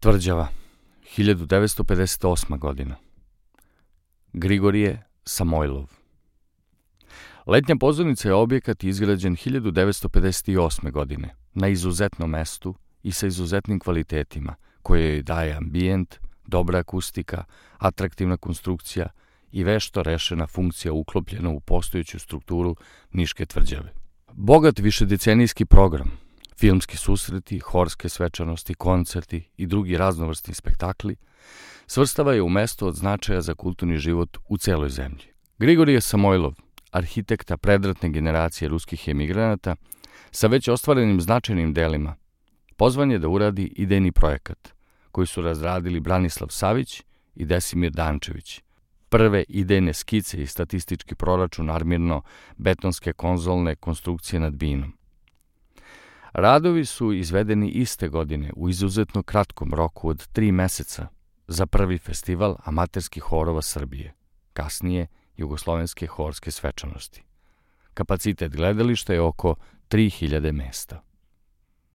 Tvrđava, 1958. godina. Grigorije Samojlov. Letnja pozornica je objekat izgrađen 1958. godine na izuzetnom mestu i sa izuzetnim kvalitetima koje joj daje ambijent, dobra akustika, atraktivna konstrukcija i vešto rešena funkcija uklopljena u postojeću strukturu Niške tvrđave. Bogat višedecenijski program, filmski susreti, horske svečanosti, koncerti i drugi raznovrsni spektakli svrstava je u mesto od značaja za kulturni život u celoj zemlji. Grigorije Samojlov, arhitekta predratne generacije ruskih emigranata, sa već ostvarenim značajnim delima, pozvan je da uradi idejni projekat, koji su razradili Branislav Savić i Desimir Dančević, prve idejne skice i statistički proračun armirno-betonske konzolne konstrukcije nad Binom. Radovi su izvedeni iste godine u izuzetno kratkom roku od 3 meseca za prvi festival amaterskih horova Srbije, kasnije Jugoslovenske horske svečanosti. Kapacitet gledališta je oko 3000 mesta.